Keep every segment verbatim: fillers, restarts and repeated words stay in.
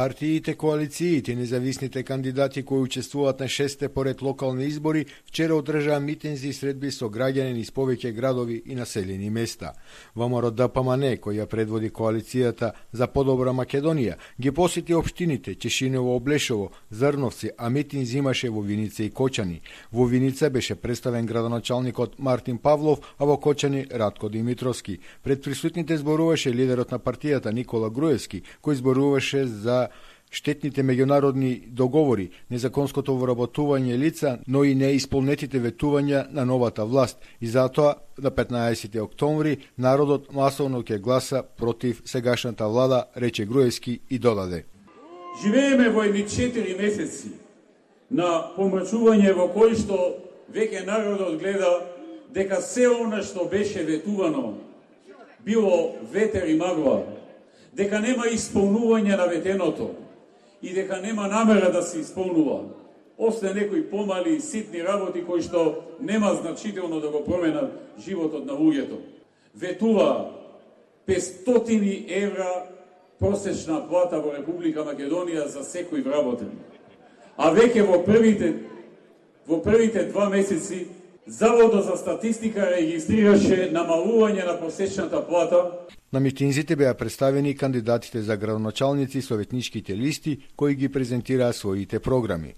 Партиите, коалициите и независните кандидати кои учествуваат на шесте поред локални избори вчера одржаа митинзи и средби со граѓани низ повеќе градови и населени места. ВМРО Д П М Н, која предводи коалицијата за подобра Македонија, ги посети општините Чешиново, Облешово, Зрновци, а митинзи имаше во Виница и Кочани. Во Виница беше представен градоначалникот Мартин Павлов, а во Кочани Ратко Димитровски. Пред присутните зборуваше лидерот на партијата Никола Груевски, кој зборуваше за штетните меѓународни договори, незаконското вработување лица, но и неисполнетите ветувања на новата власт. И затоа на петнаесети октомври народот масовно ќе гласа против сегашната влада, рече Груевски и додаде. Живееме во едни четири месеци на помрачување во кој што веќе народот гледа дека се она што беше ветувано било ветер и магла, дека нема исполнување на ветеното и дека нема намера да се исполнува, освен некои помали и ситни работи кои што нема значително да го променат животот на луѓето. Ветува петстотини евра просечна плата во Република Македонија за секој вработен. А веќе во првите во првите два месеци Заводот за статистика регистрираше намалување на просечната плата. На митинзите беа представени кандидатите за градоначалници и советничките листи кои ги презентираа своите програми.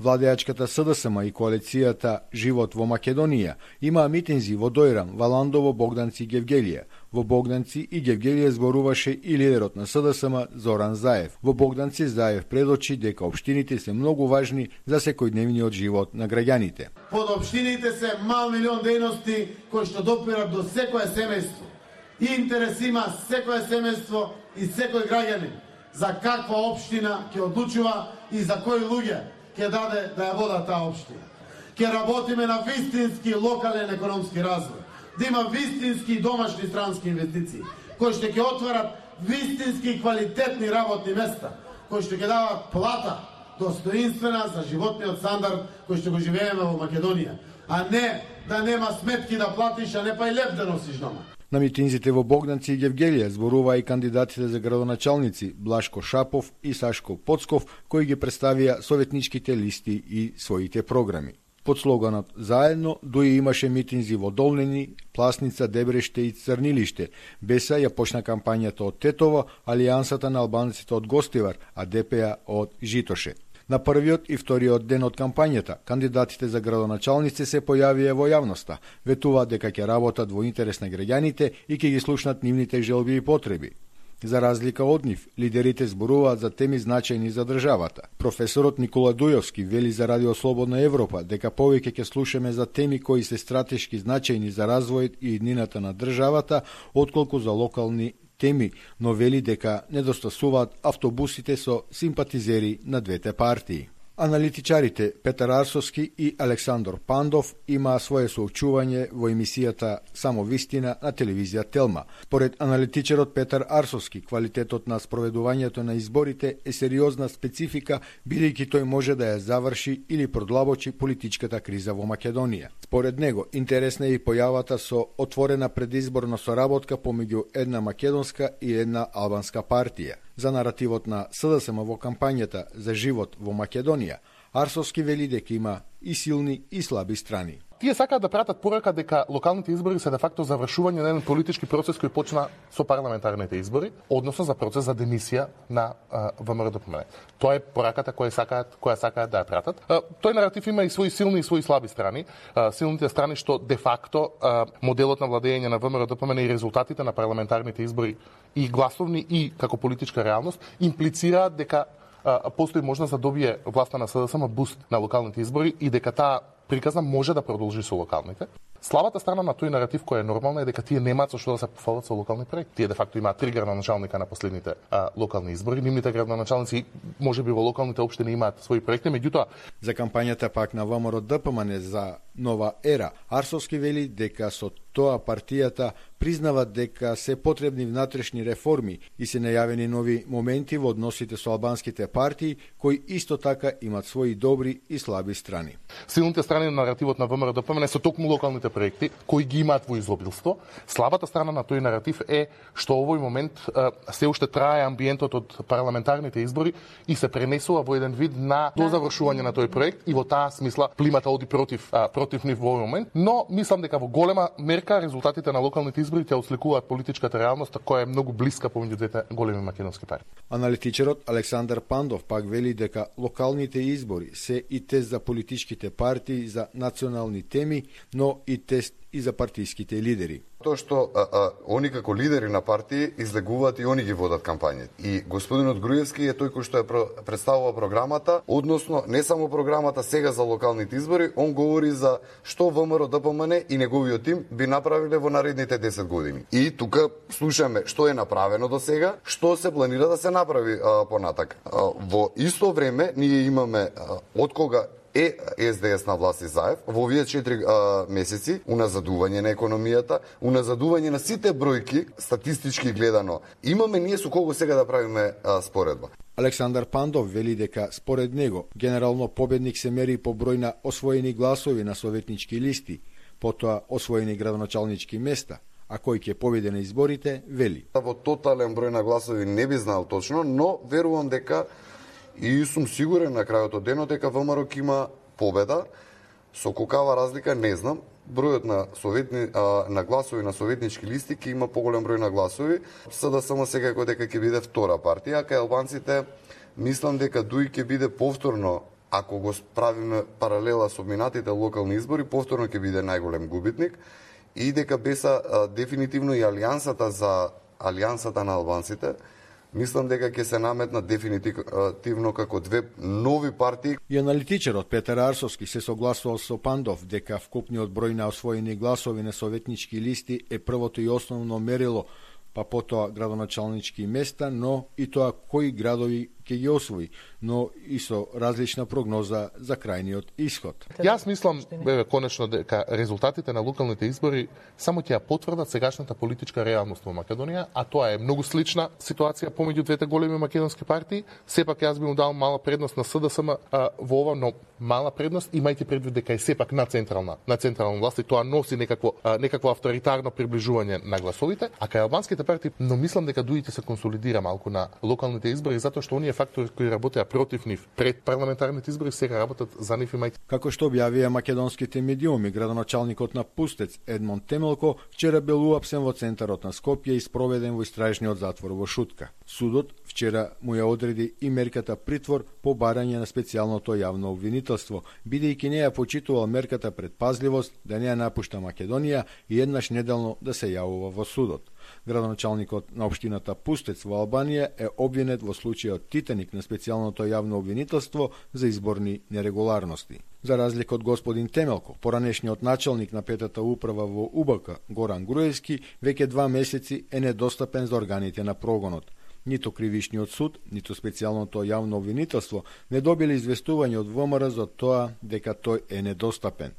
Владеачката С Д С М и коалицијата Живот во Македонија имаа митинзи во Дојран, Валандово, Богданци и Гевгелија. Во Богданци и Гевгелија зборуваше и лидерот на С Д С М Зоран Заев. Во Богданци Заев предочи дека општините се многу важни за секојдневниот живот на граѓаните. Под општините се мал милион дејности кои што допират до секое семејство. И интерес има секое семејство и секој граѓанин за каква општина ќе одлучува и за кои луѓе ќе даде да ја вода таа општина. Ќе работиме на вистински локален економски развој, да има вистински домашни странски инвестиции, кои што ќе отварат вистински квалитетни работни места, кои што ќе дават плата достоинствена за животниот стандард кој што го живееме во Македонија, а не да нема сметки да платиш, а не па и леп да носиш дома. На митинзите во Богданци и Гевгелија зборуваа и кандидатите за градоначалници Блашко Шапов и Сашко Поцков, кои ги представија советничките листи и своите програми. Под слоганот «Заедно» дуи имаше митинзи во Долнени, Пласница, Дебреште и Црнилиште. Беса ја почна кампањата од Тетово, Алијансата на албанците од Гостивар, а Д П А од Житоше. На првиот и вториот ден од кампањата, кандидатите за градоначалници се појавија во јавноста, ветуваат дека ќе работат во интерес на граѓаните и ќе ги слушнат нивните желби и потреби. За разлика од нив, лидерите зборуваат за теми значајни за државата. Професорот Никола Дујовски вели за Радио Слободна Европа дека повеќе ќе слушаме за теми кои се стратешки значајни за развојот и иднината на државата, отколку за локални теми, но вели дека недостасуваат автобусите со симпатизери на двете партии. Аналитичарите Петар Арсовски и Александор Пандов имаа свое соочување во емисијата Само вистина на телевизија Телма. Според аналитичарот Петар Арсовски, квалитетот на спроведувањето на изборите е сериозна специфика, бидејќи тој може да ја заврши или продлабочи политичката криза во Македонија. Според него, интересна е и појавата со отворена предизборна соработка помеѓу една македонска и една албанска партија. За наративот на С Д С М во кампањата за живот во Македонија, Арсовски вели дека има и силни и слаби страни. Тие сакаат да пратат порака дека локалните избори се де факто завршување на еден политички процес кој почна со парламентарните избори, односно за процес за демисија на В М Р Д П М Н. Тоа е пораката која сакаат, која сакаат да ја пратат. А, тој наратив има и свои силни и свои слаби страни. А, силните страни што де факто а, моделот на владење на В М Р Д П М Н и резултатите на парламентарните избори и гласовни и како политичка реалност имплицираат дека а, постои можност да добие власта на С Д С М буст на локалните избори и дека таа приказна може да продолжи со локалните. Слабата страна на тој наратив кој е нормална е дека тие немаат со што да се пофалат со локални проекти. Тие де факто имаат три градоначалника на последните а, локални избори. Нивните градоначалници можеби во локалните општини имаат своји проекти, меѓутоа за кампањата пак на В М Р Д П М Н за нова ера, Арсовски вели дека со тоа партијата признава дека се потребни внатрешни реформи и се најавени нови моменти во односите со албанските партии, кои исто така имат своји добри и слаби страни. Силните страни на наративот на ВМРО-ДПМН се токму локалните проекти кои ги имаат во изобилство. Слабата страна на тој наратив е што овој момент се уште трае амбиентот од парламентарните избори и се пренесува во еден вид на до завршување на тој проект и во таа смисла плимата оди против против нив во овој момент, но мислам дека во голема мерка резултатите на локалните избори ќе осликуваат политичката реалност која е многу блиска помеѓу двете големи македонски партии. Аналитичарот Александар Пандов пак вели дека локалните избори се и тест за политичките партии за национални теми, но и тест и за партиските лидери. Тоа што а, а, они како лидери на партии излегуваат и они ги водат кампањите. И господинот Груевски е тој кој што ја представува програмата, односно не само програмата сега за локалните избори, он говори за што ВМРО-ДПМН и неговиот тим би направиле во наредните десет години. И тука слушаме што е направено до сега, што се планира да се направи а, понатак. А, во исто време ние имаме а, од кога е СДС на власт и Заев во овие четири а, месеци уназадување на економијата, уназадување на сите бројки статистички гледано. Имаме ние со кого сега да правиме а, споредба. Александар Пандов вели дека според него генерално победник се мери по број на освоени гласови на советнички листи, потоа освоени градоначалнички места, а кој ќе победи на изборите, вели. Во тотален број на гласови не би знал точно, но верувам дека и сум сигурен на крајот од денот дека ВМРО ќе има победа. Со колкава разлика не знам. Бројот на советни а, на гласови на советнички листи ќе има поголем број на гласови. СДСМ секако дека ќе биде втора партија, а кај албанците мислам дека дуи ќе биде повторно, ако го правиме паралела со минатите локални избори, повторно ќе биде најголем губитник и дека беса а, дефинитивно и алијансата за алијансата на албанците. Мислам дека ќе се наметнат дефинитивно како две нови партии. И аналитичарот Петар Арсовски се согласувал со Пандов дека вкупниот број на освоени гласови на советнички листи е првото и основно мерило, па потоа градоначалнички места, но и тоа кои градови ќе ги освои, но и со различна прогноза за крајниот исход. Јас мислам, бе, конечно, дека резултатите на локалните избори само ќе ја потврдат сегашната политичка реалност во Македонија, а тоа е многу слична ситуација помеѓу двете големи македонски партии. Сепак јас би му дал мала предност на СДСМ а, во ова, но мала предност, имајќи предвид дека е сепак на централна, на централна власт и тоа носи некакво, а, некакво авторитарно приближување на гласовите, а кај албанските партии, но мислам дека дуите се консолидира малку на локалните избори, затоа што оние фактори кои работеа против нив пред парламентарните избори сега работат за нив, имајќи. Како што објавија македонските медиуми, градоначалникот на Пустец Едмон Темелко вчера бил уапсен во центарот на Скопје и спроведен во истражниот затвор во Шутка. Судот вчера му ја одреди и мерката притвор по барање на специјалното јавно обвинителство, бидејќи не ја почитувал мерката предпазливост да не ја напушта Македонија и еднаш неделно да се јавува во судот. Градоначалникот на општината Пустец во Албанија е обвинет во случајот Титаник на специјалното јавно обвинителство за изборни нерегуларности. За разлика од господин Темелко, поранешниот началник на петата управа во УБК, Горан Груевски, веќе два месеци е недостапен за органите на прогонот. Нито кривишниот суд, нито специјалното јавно обвинителство не добиле известување од ВМРО за тоа дека тој е недостапен.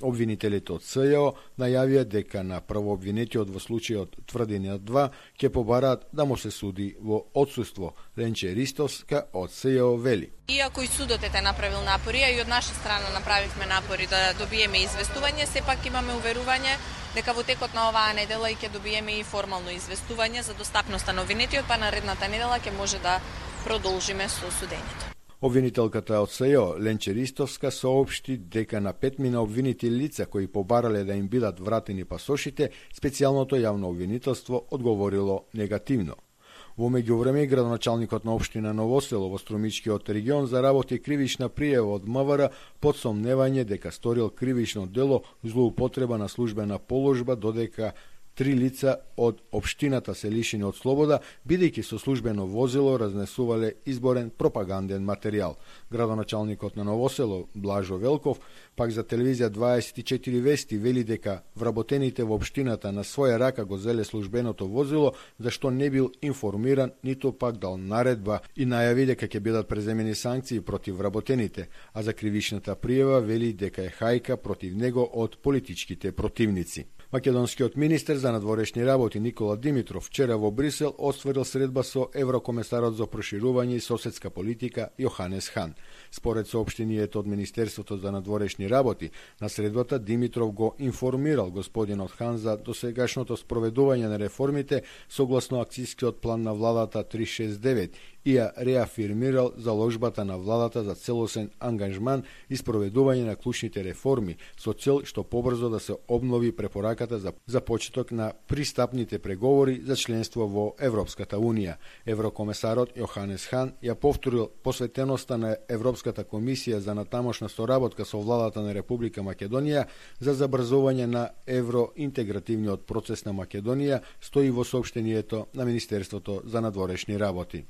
Обвинителите од СЈО најавија дека на првообвинетиот во случајот тврдениот два ќе побараат да му се суди во отсуство. Ленче Ристовска од СЈО вели. Иако и судот е направил напори, а и од наша страна направивме напори да добиеме известување, сепак имаме уверување дека во текот на оваа недела и ќе добиеме и формално известување за достапноста на обвинетиот, па наредната недела ќе може да продолжиме со судењето. Обвинителката од СЈО Ленче Ристовска соопшти дека на петмина обвинити лица кои побарале да им бидат вратени пасошите, специјалното јавно обвинителство одговорило негативно. Во меѓувреме, градоначалникот на општина Ново село во Струмичкиот регион заработи кривична пријава од МВР под сомневање дека сторил кривично дело злоупотреба на службена положба, додека три лица од општината се лишени од слобода, бидејќи со службено возило разнесувале изборен пропаганден материјал. Градоначалникот на Ново село Блажо Велков пак за телевизија дваесет и четири вести вели дека вработените во општината на своја рака го зеле службеното возило, зашто не бил информиран, ниту пак дал наредба и најави дека ќе бидат преземени санкции против вработените, а за кривичната пријава вели дека е хајка против него од политичките противници. Македонскиот министер за надворешни работи Никола Димитров вчера во Брисел остварил средба со еврокомесарот за проширување и соседска политика Јоханес Хан. Според соопштението од Министерството за надворешни работи, на средбата Димитров го информирал господинот Хан за досегашното спроведување на реформите согласно акцијскиот план на владата триста шесдесет и девет и ја реафирмирал заложбата на владата за целосен ангажман и спроведување на клучните реформи со цел што побрзо да се обнови препораката за, за почеток на пристапните преговори за членство во Европската Унија. Еврокомесарот Јоханес Хан ја повторил посветеноста на Европската комисија за натамошна соработка со владата на Република Македонија за забрзување на евроинтегративниот процес на Македонија, стои во соопштението на Министерството за надворешни работи.